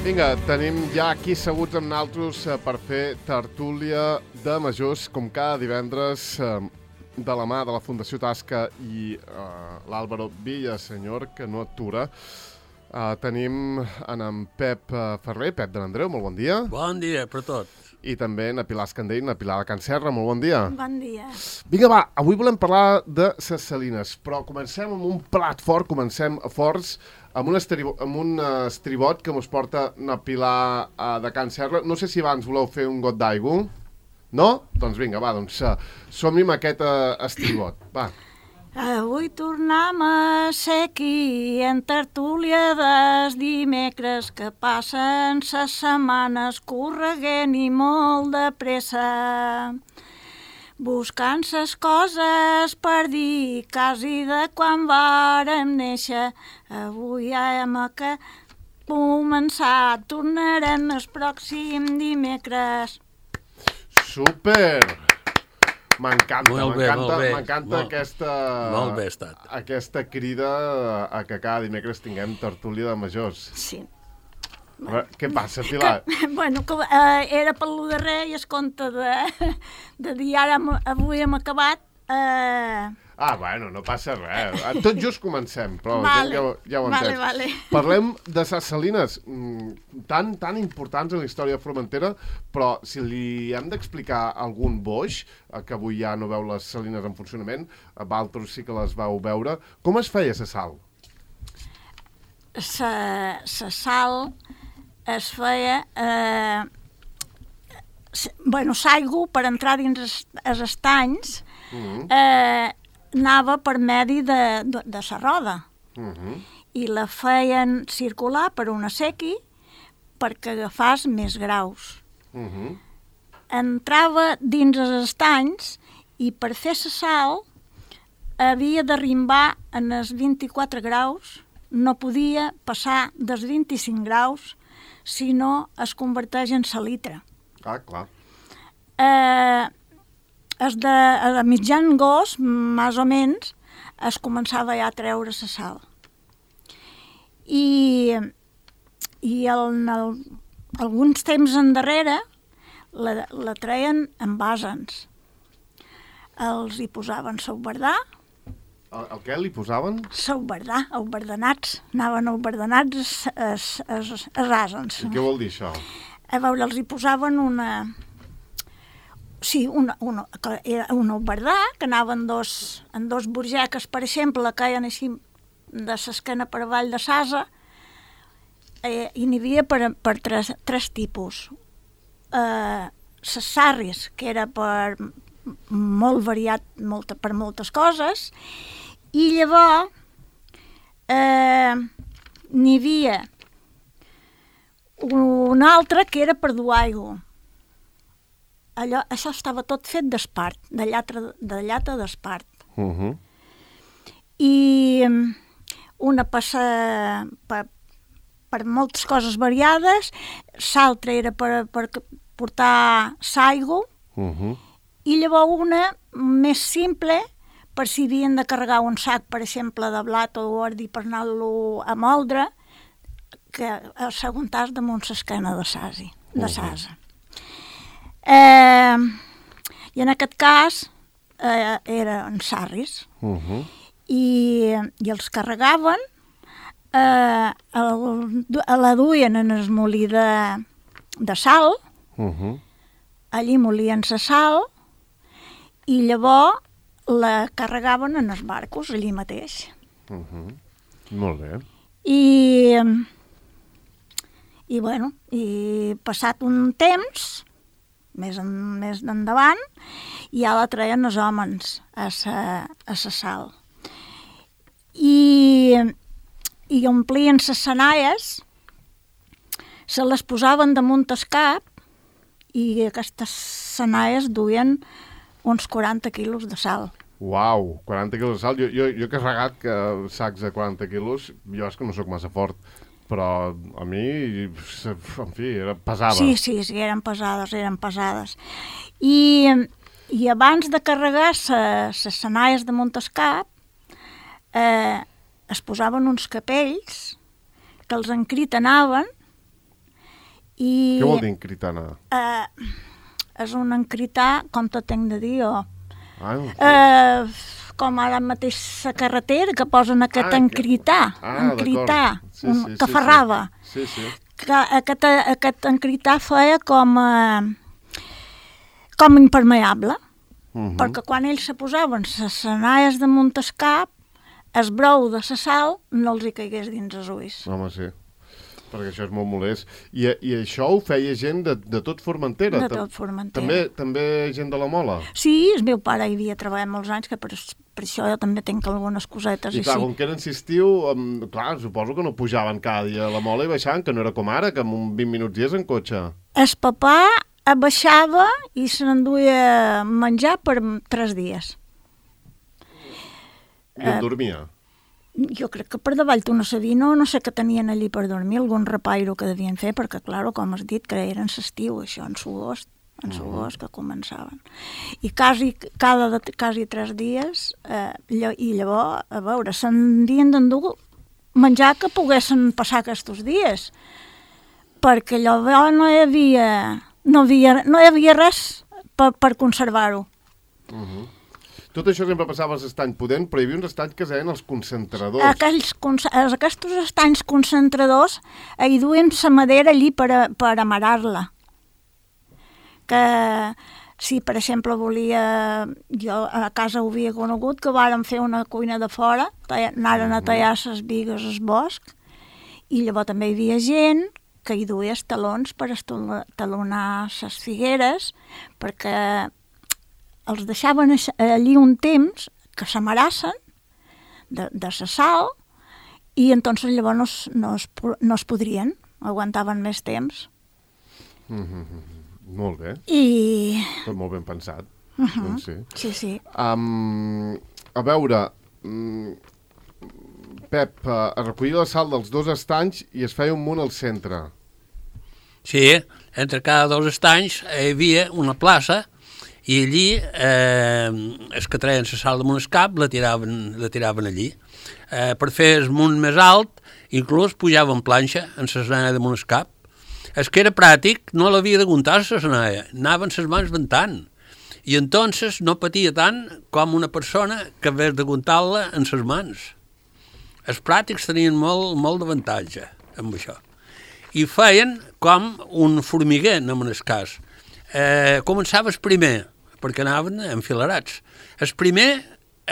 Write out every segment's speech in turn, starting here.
Vinga, tenim ja aquí asseguts amb naltros per fer tertúlia de majors, com cada divendres, de la mà de la Fundació Tasca i l'Àlvaro Villasenyor, que no atura. Tenim en Pep Ferrer, Pep de l'Andreu, molt bon dia. Bon dia per tot. I també na Pilar Escandell, na Pilar de Can Serra, molt bon dia. Bon dia. Vinga, va, avui volem parlar de ses Salines, però comencem amb un plat fort, comencem forts, amb un estribot que mos porta na Pilar de Can Serra. No sé si abans voleu fer un got d'aigua. No? Doncs vinga, va, som-hi amb aquest estribot. Va. Avui tornem a ser aquí en tertúlia dels dimecres que passen ses setmanes correguent i molt de pressa. Buscant ses coses per dir quasi de quan vàrem néixer. Avui ja hem començat, tornarem el pròxim dimecres. Super! M'encanta Molt bé estat. aquesta crida a que cada dimecres tinguem tertúlia de majors. Sí. Què passa, Pilar? Era per lo darrer i es compte de dir ara avui hem acabat. Bueno, no passa res. Tot just comencem, però Vale. ja ho entens. Vale. Parlem de ses Salines, tan importants en la història de Formentera, però si li hem d'explicar algun boix, que avui ja no veu les Salines en funcionament, vosaltres sí que les vau veure, com es feia la sal? La sal es feia... l'aigua per entrar dins els estanys anava per medi de la roda i la feien circular per una sequi perquè agafàs més graus. Entrava dins els estanys i per fer la sal havia d'arrimbar en els 24 graus, no podia passar dels 25 graus si no es converteix en salitre. Clar. A mitjan agost, més o menys, es començava ja a treure la sal. I alguns temps endarrere la treien en bàsens. Els hi posaven sauverdà. El què li posaven? Sauverdà, auverdenats. Anaven auverdenats els àsens. I què vol dir això? A veure, els hi posaven una auverdà, que anaven en dos burgeques, per exemple, que caien així de l'esquena per avall de l'asa, i n'hi havia per tres tipus. Les sarris, que era per molt variat per moltes coses, i llavors n'hi havia un altre que era per dur aigua. Això estava tot fet d'espart, de llata d'espart. I una passa per moltes coses variades, l'altra era per portar l'aigua, i llavors una més simple, per si havien de carregar un sac, per exemple, de blat o d'ordi per anar-lo a moldre, que s'aguantàs damunt l'esquena de l'asa. I en aquest cas eren sarris i els carregaven, la duien en el molí de sal, allí molien la sal i llavors la carregaven en els barcos allí mateix. Molt bé. I passat un temps, més endavant, ja la treien els homes a la sal. I omplien les senalles, se les posaven damunt el cap i aquestes senalles duien uns 40 quilos de sal. Uau, 40 quilos de sal. Jo he carregat sacs de 40 quilos, jo és que no sóc massa fort, però a mi, en fi, pesava. Sí, eren pesades. I abans de carregar les senalles damunt el cap, es posaven uns capells que els encritenaven I, Què vol dir encritana? És un encrità, com te tenc de dir jo, No sé. com ara mateix la carretera, que posen aquest encrità, encrità, que ferrava. Sí. Aquest encrità feia com impermeable, perquè quan ells se posaven les senalles damunt el cap, el brou de la sal no els hi caigués dins els ulls. Home, sí, perquè això és molt molest. I això ho feia gent de tot Formentera? De tot Formentera. També gent de la Mola? Sí, el meu pare hi havia treballat molts anys, que per això jo també tinc algunes cosetes. I clar, com que eren estiu, clar, suposo que no pujaven cada dia a la Mola i baixaven, que no era com ara, que en 20 minuts hi és en cotxe. El papà baixava i se n'enduia menjar per 3 dies. I on dormia? Jo crec que per davall d'una sabina, no sé què tenien allí per dormir, algun repairo que devien fer, perquè, clar, com has dit, que eren l'estiu, això, en l'agost que començaven. I quasi 3 dies, i llavors, a veure, se'n havien d'endur menjar que poguessin passar aquests dies, perquè llavors no hi havia res per conservar-ho. Tot això sempre passava als estanys Pudent, però hi havia uns estanys que es deien els concentradors. Aquests estanys concentradors hi duien la madera allí per amarar-la. Que si, per exemple, jo a casa ho havia conegut, que vàrem fer una cuina de fora, anaren a tallar les bigues al bosc, i llavors també hi havia gent que hi duia els talons per talonar les figueres, perquè els deixaven allí un temps que s'amarassen de la sal i entonces llavors no es podrien, aguantaven més temps. Molt bé. Tot molt ben pensat. Doncs sí. Sí. A veure, Pep, es recollia la sal dels 2 estanys i es feia un munt al centre. Sí, entre cada 2 estanys hi havia una plaça i allí els que treien la sal damunt el cap la tiraven allí. Per fer el munt més alt, inclús pujaven planxa en la senalla damunt el cap. El que era pràctic no l'havia d'aguntar la senalla, anaven les mans ventant, i entonces no patia tant com una persona que hagués d'aguntar-la en les mans. Els pràctics tenien molt d'avantatge amb això. I feien com un formiguer, en el cas. Començava el primer, perquè anaven enfilarats. El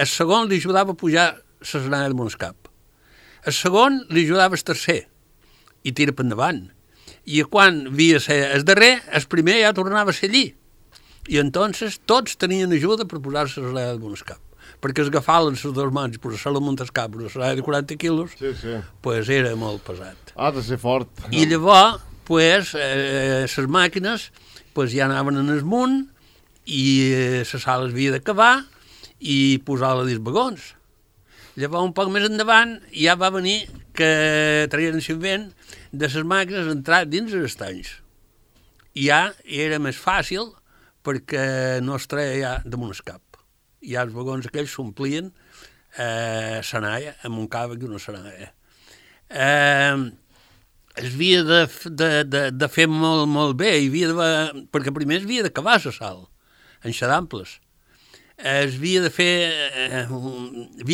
segon li ajudava a pujar la senalla damunt el cap. El segon li ajudava el tercer i tira per endavant. I quan havia de ser el darrer, el primer ja tornava a ser allí. I entonces tots tenien ajuda per posar-se la senalla damunt el cap. Perquè agafaven les 2 mans i posar-se-la damunt el cap, una senalla de 40 quilos, pues era molt pesat. Ha de ser fort. I llavors, les màquines ja anaven en el munt i la sal havia d'acabar i posar-la dins vagons. Llavors, un poc més endavant, ja va venir que traien l'invent de les màquines entrar dins els estanys. I ja era més fàcil perquè no es treia ja damunt el cap. Ja els vagons aquells s'omplien senalla, amb un càvec i una senalla. Es havia de fer molt bé, perquè primer es havia d'acabar la sal, en xadamples. Havia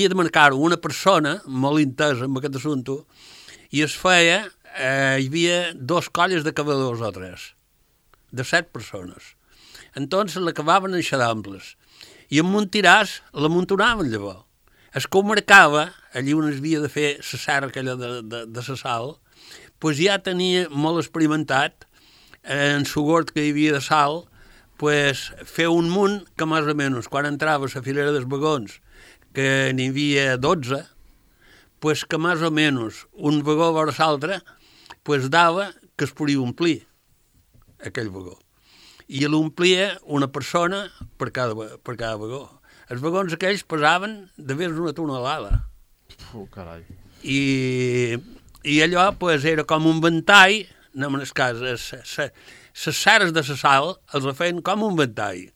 de marcar una persona molt intesa en aquest assumpte i es feia, hi havia 2 colles de cavadors o 3, de 7 persones. Entonces l'acabaven en xadamples i amb un tiràs l'amuntonaven llavors. Es que ho marcava, allí on es havia de fer la serra aquella de la sal, doncs ja tenia molt experimentat en el gord que hi havia de sal, pues fer un munt que més o menys quan entrava a la filera dels vagons, que n'hi havia 12, pues que més o menys un vagó vora l'altre pues dava que es podia omplir aquell vagó. I l'omplia una persona per cada vagó. Els vagons aquells pesaven de més d'una tonelada. Carai. I allò pues, era com un ventall, no en el cas, les serres de la sal els feien com un ventall,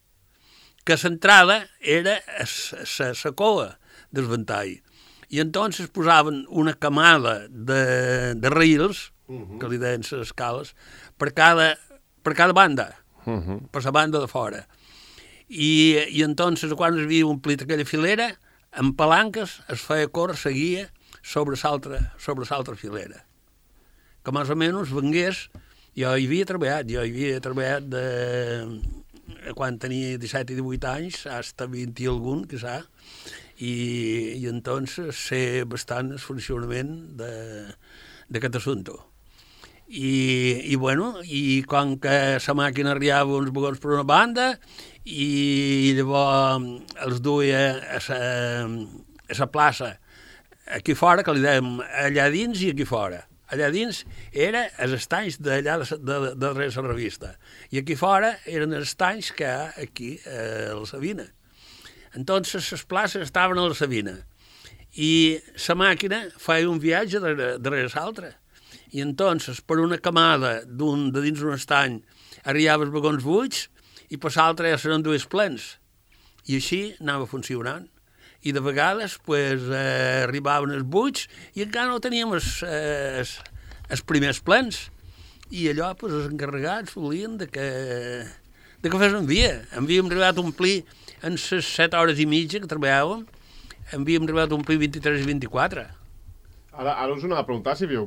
que l'entrada era la coa del ventall. I entonces posaven una camada de raïls que li deien les escales, per cada banda, per la banda de fora. I entonces, quan es havia omplit aquella filera, amb palanques es feia córrer, seguia sobre l'altra filera. Que més o menys vengués, jo hi havia treballat quan tenia 17 i 18 anys, fins a 20 i algun, quizà, i entonces sé bastant el funcionament d'aquest assumpte. I com que la màquina arribava uns vagons per una banda i llavors els duia a la plaça aquí fora, que li dèiem allà dins i aquí fora. Allà dins era els estanys d'allà de darrere la revista i aquí fora eren els estanys que hi ha aquí a la Sabina. Entonces les places estaven a la Sabina i la màquina feia un viatge darrere l'altra. I entonces, per una camada de dins d'un estany, arribava els vagons buits i per l'altre ja seran dues plens. I així anava funcionant. I de vegades arribaven els buits i encara no teníem els primers plens. I allò els encarregats volien que fes via. Havíem arribat a omplir en les 7 hores i mitja que treballàvem, havíem arribat a omplir 23 i 24. Ara us anava a preguntar si havíeu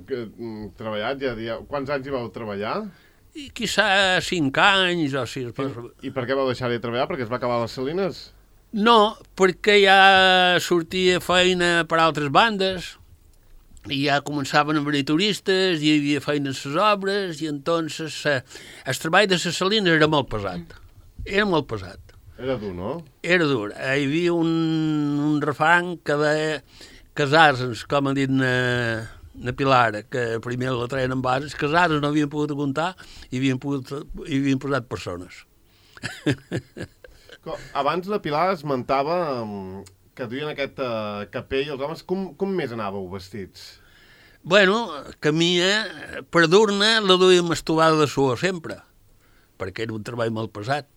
treballat, quants anys hi vau treballar? I quizà 5 anys o 6. I per què vau deixar de treballar? Perquè es va acabar les salines? No, perquè ja sortia feina per altres bandes, i ja començaven a venir turistes, hi havia feina en les obres, i entonces el treball de les salines era molt pesat. Era molt pesat. Era dur, no? Era dur. Hi havia un refrany que deia casar-nos, com ha dit na Pilar, que primer la treien en bases, casar-nos no havien pogut aguantar i havien posat persones. Abans la Pilar esmentava que duien aquest capell, els homes, com més anàveu vestits? Bueno, camia, per dur-ne la duíem estovada de suor sempre, perquè era un treball molt pesat.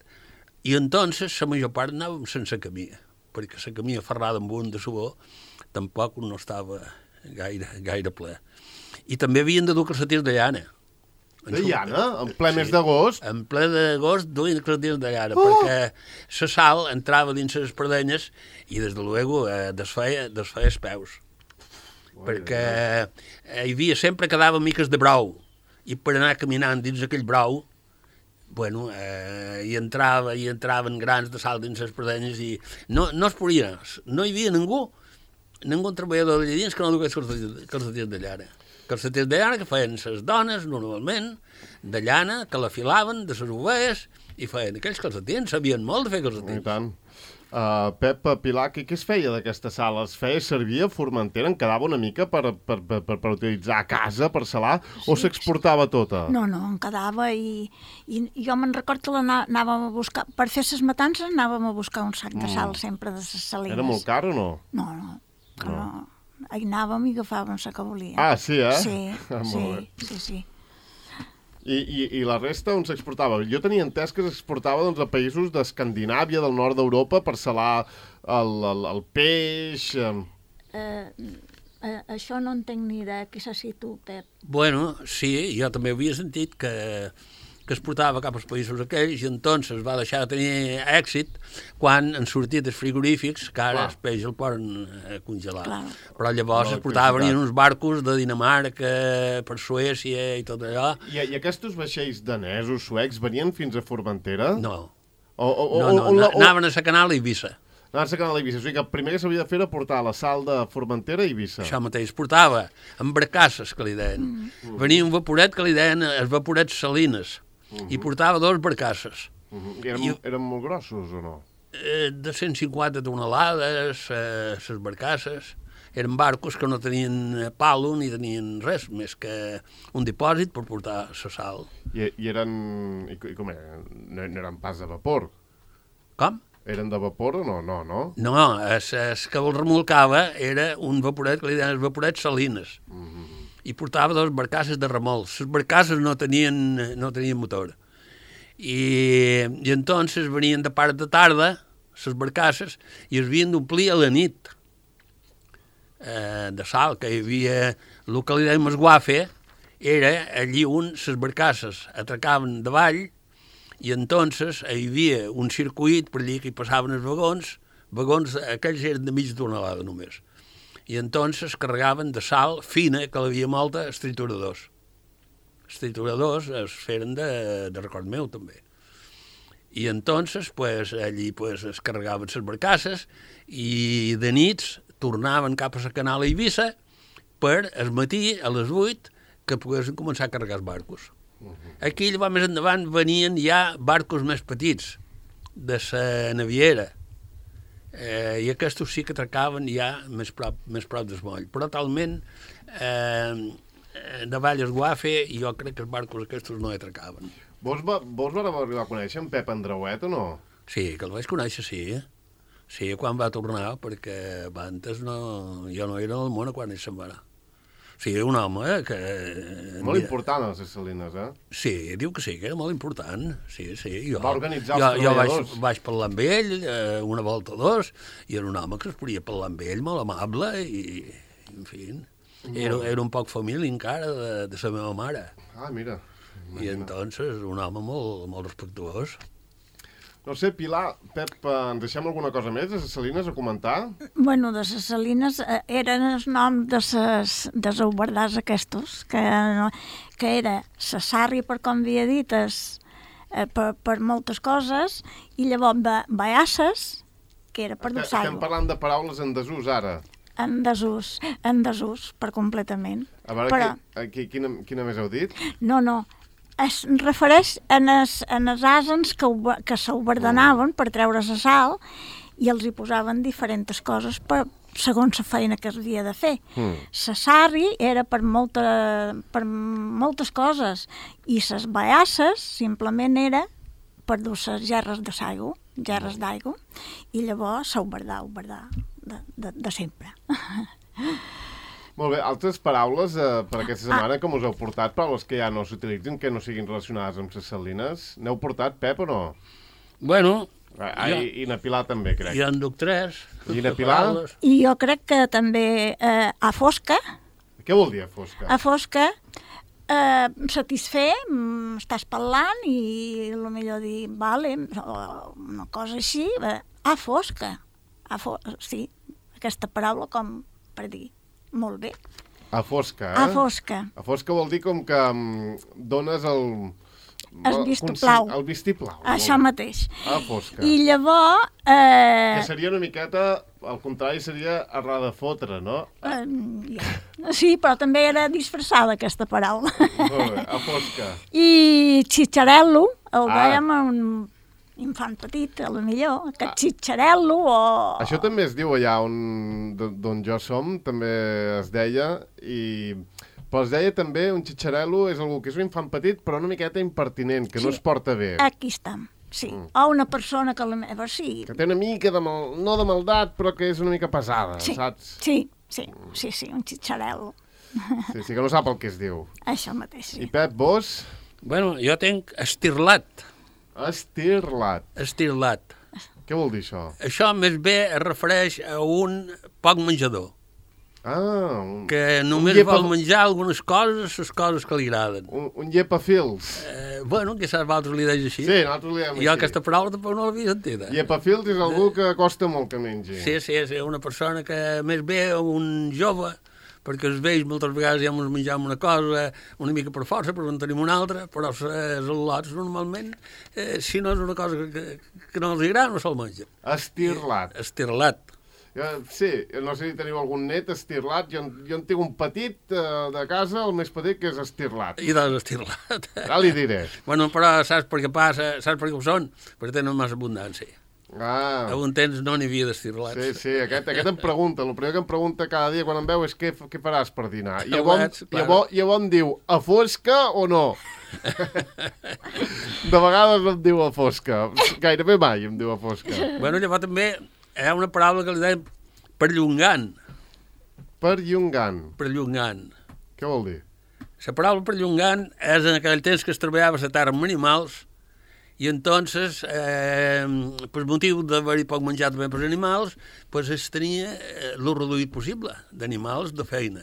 I entonces la major part anàvem sense camia, perquè la camia ferrada amb un de suor tampoc no estava gaire ple. I també havien de dur calcetins de llana. De llana? En ple mes d'agost? En ple d'agost duien calcetins de llana, perquè la sal entrava dins les espardenyes i, des de luego, desfeia els peus. Perquè hi havia sempre quedava miques de brou, i per anar caminant dins aquell brou, bueno, hi entraven grans de sal dins les espardenyes i no es podia, no hi havia ningú treballador d'allà dins que no dugués calcetins de llana. Calcetins de llana que feien les dones, normalment, de llana, que la filaven de les ovelles i feien aquells calcetins, sabien molt de fer calcetins. I tant. Pep, Pilar, què es feia d'aquesta sal? Es feia servir a Formentera? En quedava una mica per utilitzar a casa, per salar, o s'exportava tota? No, en quedava i jo me'n record que anàvem a buscar, per fer les matances anàvem a buscar un sac de sal sempre de les salines. Era molt car o no? No. Hi anàvem i agafàvem la que volíem. Ah, sí, eh? Sí. I la resta on s'exportava? Jo tenia entès que s'exportava a països d'Escandinàvia, del nord d'Europa, per salar el peix... Això no en tinc ni idea, qui saps si tu, Pep? Bueno, sí, jo també havia sentit que es portava cap als països aquells i entonces va deixar de tenir èxit quan han sortit els frigorífics, que ara el peix el poden congelar. Clar. Però llavors es portaven en uns barcos de Dinamarca, per Suècia i tot allò. I aquests vaixells danesos, suecs, venien fins a Formentera? No. Anaven a la Canal a Eivissa. Anaven a la Canal a Eivissa. O sigui que el primer que s'havia de fer era portar la sal de Formentera a Eivissa. Això mateix. Portava amb barcasses, que li deien. Venia un vaporet que li deien els vaporets salines. I portava 2 barcasses. Eren molt grossos o no? De 150 tonelades, les barcasses. Eren barcos que no tenien palo ni tenien res, més que un dipòsit per portar la sal. I eren... com eren? No eren pas de vapor? Com? Eren de vapor o no? No, el que el remolcava era un vaporet que li deien els vaporets salines. I portava 2 barcasses de remolc. Les barcasses no tenien motor. I entonces venien de part de tarda, les barcasses, i es havien d'omplir a la nit de sal, que hi havia el que li dèiem esguafe, era allí on les barcasses atracaven davall i entonces hi havia un circuit per allí que hi passaven els vagons aquells eren de mig tonelada només. I entonces carregaven de sal fina, que l'havia molta, els trituradors. Els trituradors es feren de record meu, també. I entonces, pues, allí pues, es carregaven les barcasses i de nits tornaven cap a la canal a Eivissa per el matí, a les 8, que poguessin començar a carregar els barcos. Aquí, llavors, més endavant, venien ja barcos més petits, de la naviera, i aquests sí que atracaven ja més prop del moll. Però talment, davall el Guafe, jo crec que els barcos aquests no atracaven. Vos va arribar a conèixer en Pep Andreuet o no? Sí, que el vaig conèixer, sí. Sí, quan va tornar, perquè abans jo no era al món quan ell se'n va anar. Sí, un home que... Molt important a les Salines, eh? Sí, diu que sí, que era molt important. Sí. Va organitzar els treballadors. Jo vaig parlar amb ell una volta o dos, i era un home que es podia parlar amb ell, molt amable, i en fi, era un poc família encara de la meva mare. Ah, mira. I entonces un home molt respectuós. No sé, Pilar, Pep, ens deixem alguna cosa més de les Salines a comentar? Bueno, de les Salines eren el nom de les aubardars aquestos, que era la sàrria, per com havia dit, per moltes coses, i llavors Baasses, que era per dur l'aigua. Estem parlant de paraules en desús, ara. En desús, per completament. A veure, quina més heu dit? No. Es refereix en els asens que s'oberdenaven per treure la sal i els hi posaven diferents coses segons la feina que es havia de fer. La sàrria era per moltes coses i les baasses simplement era per dur les gerres d'aigua, i llavors s'oberdar de sempre. Molt bé, altres paraules per aquesta setmana com us heu portat, paraules que ja no s'utilitzen, que no siguin relacionades amb les Salines? N'heu portat, Pep, o no? Bueno... I na Pilar també, crec. Ja en duc 3. I na Pilar? I jo crec que també a fosca. Què vol dir a fosca? A fosca, satisfer, estàs parlant i potser dir, vale, una cosa així, a fosca. Sí, aquesta paraula com per dir. Molt bé. A fosca, eh? A fosca. A fosca vol dir com que dones el vistiplau. El vistiplau. Això mateix. A fosca. I llavors... Que seria una miqueta, al contrari, seria a de fotre, no? Sí, però també era disfressada, aquesta paraula. Molt bé, a fosca. I xitxarel·lo, el dèiem un infant petit, a lo millor, aquest xitxarel·lo o... Això també es diu allà d'on jo som, també es deia, però es deia també un xitxarel·lo és algú que és un infant petit però una miqueta impertinent, que no es porta bé. Aquí estem, sí. O una persona que sí. Que té una mica no de maldat, però que és una mica pesada, saps? Sí, un xitxarel·lo. Sí, que no sap el que es diu. Això mateix, sí. I Pep, vos? Bueno, jo tenc estirlat. Estirlat. Què vol dir això? Això més bé es refereix a un poc menjador. Que només vol menjar algunes coses, les coses que li agraden. Un llepafils. Bueno, que saps, vosaltres li deis així. Sí, nosaltres li dèiem així. Jo aquesta paraula tampoc no l'havia sentida. Llepafils és algú que costa molt que mengi. Sí, una persona que més bé, un jove, perquè els vells moltes vegades ja ens menjam una cosa una mica per força, però en tenim una altra, però els al·lots normalment, si no és una cosa que no els agrada, no se'l menja. Estirlat. Sí, no sé si teniu algun net estirlat. Jo en tinc un petit de casa, el més petit, que és estirlat. I doncs estirlat. Ja li diré. Bueno, però saps per què passa? Saps per què ho són? Perquè tenen massa abundància. A un temps no n'hi havia d'estirlats. Sí, aquest em pregunta. El primer que em pregunta cada dia quan em veu és què faràs per dinar. I llavors em diu, a fosca o no? De vegades no em diu a fosca. Gairebé mai em diu a fosca. Bueno, llavors també hi ha una paraula que li deien perllongant. Perllongant. Què vol dir? La paraula perllongant és en aquell temps que es treballava la terra amb animals i entonces, per motiu d'haver-hi poc menjat també pels animals, pues es tenia el reduït possible d'animals de feina.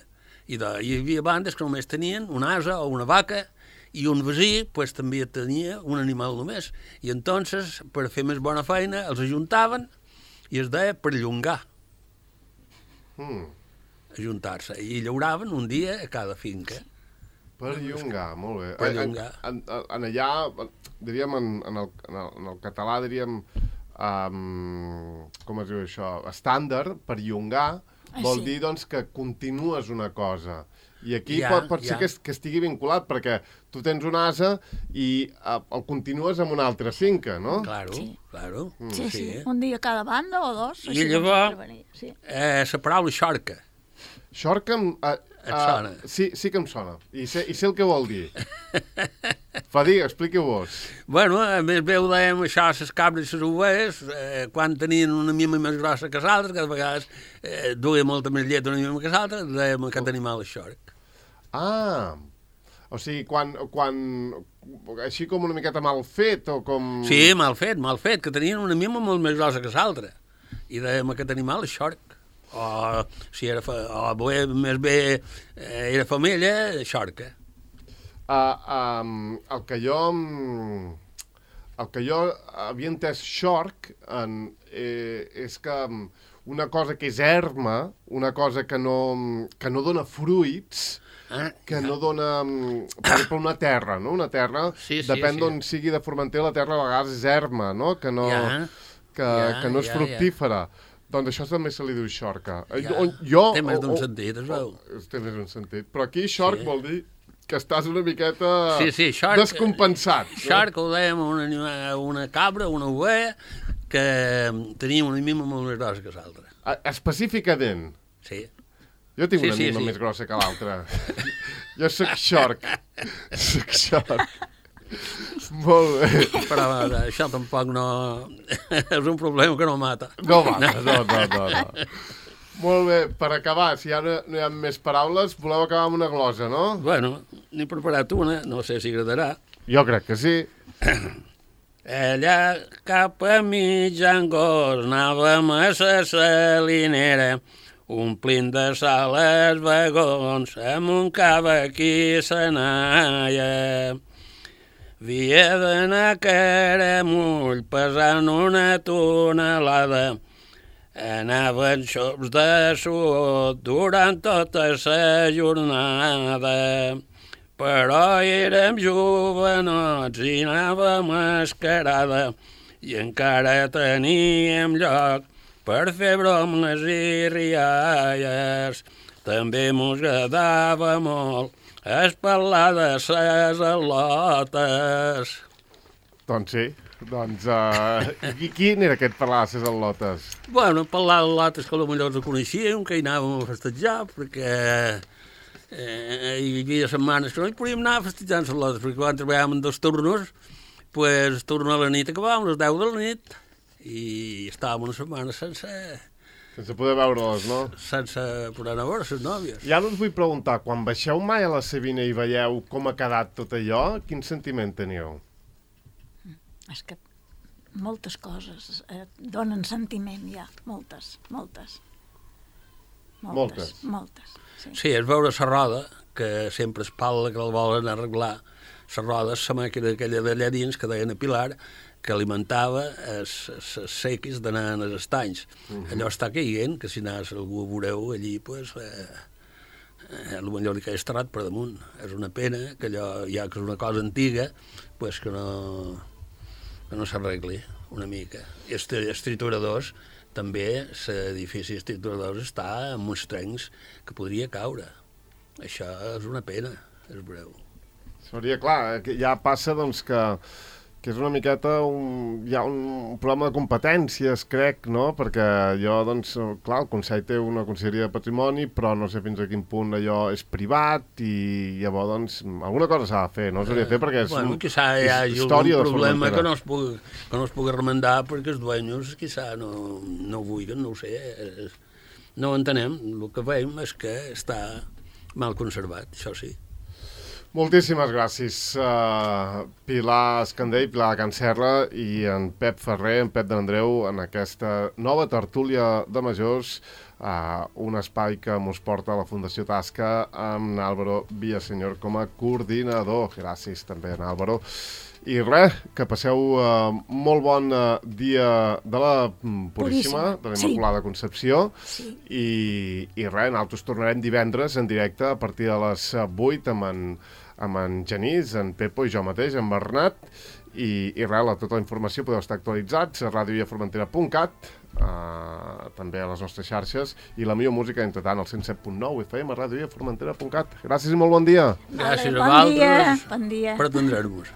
I hi havia bandes que només tenien un ase o una vaca, i un vecí pues, també tenia un animal només. I entonces, per fer més bona feina, els ajuntaven i es deia perllongar. Ajuntar-se. I llauraven un dia a cada finca. Perllongar, molt bé. Perllongar. En allà, diríem, en el català, diríem, com es diu això, estàndard, perllongar, vol dir doncs, que continues una cosa. I aquí pot ser que estigui vinculat, perquè tu tens un ase i el continues amb una altra finca, no? Claro, claro. Sí. Un dia cada banda o dos. I llavors, la paraula xorca. Xorca, et sona? Sí que em sona. I sé el que vol dir. Expliqueu-vos. Bueno, a més bé ho dèiem això, les cabres i les ovelles, quan tenien una mima més grossa que l'altra, que de vegades duia molta més llet una mima que l'altra, dèiem aquest animal és xorc. O sigui, quan així com una miqueta mal fet o com... Sí, mal fet, que tenien una mima molt més grossa que l'altra. I dèiem aquest animal és xorc. O si era més bé era femella, xorca. El que jo havia entès xorc és que una cosa que és erma, una cosa que no dona fruits, que no dona, per exemple, una terra, no? Una terra, depèn d'on sigui de Formentera, la terra a vegades és erma, no? Que no és fructífera. Doncs això també se li diu xorca. Té més d'un sentit, es veu. Té més d'un sentit. Però aquí xorc vol dir que estàs una miqueta descompensat. Xorc ho dèiem una cabra, una ovella, que tenia una mima molt més grossa que l'altra. Específicament? Sí. Jo tinc una mima més grossa que l'altra. Jo soc xorc. Molt bé. Però això tampoc no... és un problema que no mata. No. Molt bé, per acabar, si ja no hi ha més paraules, voleu acabar amb una glosa, no? Bueno, n'he preparat una, no sé si agradarà. Jo crec que sí. Allà cap a mitjangos anàvem a la salinera, omplint de sal els vagons, amb un cava aquí s'anaia. Havia d'anar caramull pesant una tonelada. Anaven xops de suor durant tota la jornada. Però érem jovenots i anàvem mascarada i encara teníem lloc per fer bromes i rialles. També mos agradava molt parlar de ses al·lotes. Doncs sí. I quin era aquest parlar de ses al·lotes? Bueno, parlar d'al·lotes que potser els coneixíem, que hi anàvem a festejar, perquè hi havia setmanes que no hi podíem anar a festejar les al·lotes, perquè quan treballàvem en 2 turnos, pues el turno a la nit acabàvem a les 10 de la nit i estàvem una setmana sense poder veure-les, no? Sense poder anar a veure les nòvies. Ja us vull preguntar, quan baixeu mai a la Savina i veieu com ha quedat tot allò, quin sentiment teniu? És que moltes coses donen sentiment, ja. Moltes. Sí, és veure la roda, que sempre es parla que el volen arreglar. La roda és la màquina aquella d'allà dins, que deien a Pilar, que alimentava els sequis d'anar als estanys. Allò està caient, que si anàs algú a veureu allí, pues, potser li caia esterrat per damunt. És una pena que allò, ja que és una cosa antiga, pues, que no s'arregli una mica. I els trituradors, també l'edifici dels trituradors està amb uns trencs que podria caure. Això és una pena, és breu. Seria clar, ja passa doncs que és una miqueta hi ha un problema de competències, crec, no? Perquè allò, doncs, clar, el Consell té una conselleria de patrimoni, però no sé fins a quin punt allò és privat i llavors, doncs, alguna cosa s'ha de fer, no? S'hauria de fer perquè és hi hagi un problema que no es pugui remendar perquè els dueños, quizà, no ho vulguin, no ho sé. No ho entenem. El que veiem és que està mal conservat, això sí. Moltíssimes gràcies, Pilar Escandell, Pilar de Can Serra i en Pep Ferrer, en Pep de l'Andreu, en aquesta nova tertúlia de majors un espai que mos porta a la Fundació Tasca amb Álvaro Villaseñor com a coordinador. Gràcies també a Álvaro. I res, que passeu molt bon dia de la Puríssima, de la Immaculada Concepció, i res, nosaltres tornarem divendres en directe a partir de les 8 amb en Genís, en Pepo i jo mateix, en Bernat, i res, tota la informació podeu estar actualitzats a radiovillaformentera.cat, també a les nostres xarxes, i la millor música entre tant al 107.9 FM a radiovillaformentera.cat. Gràcies i molt bon dia. Gràcies a vosaltres Bon dia. per atendre-nos.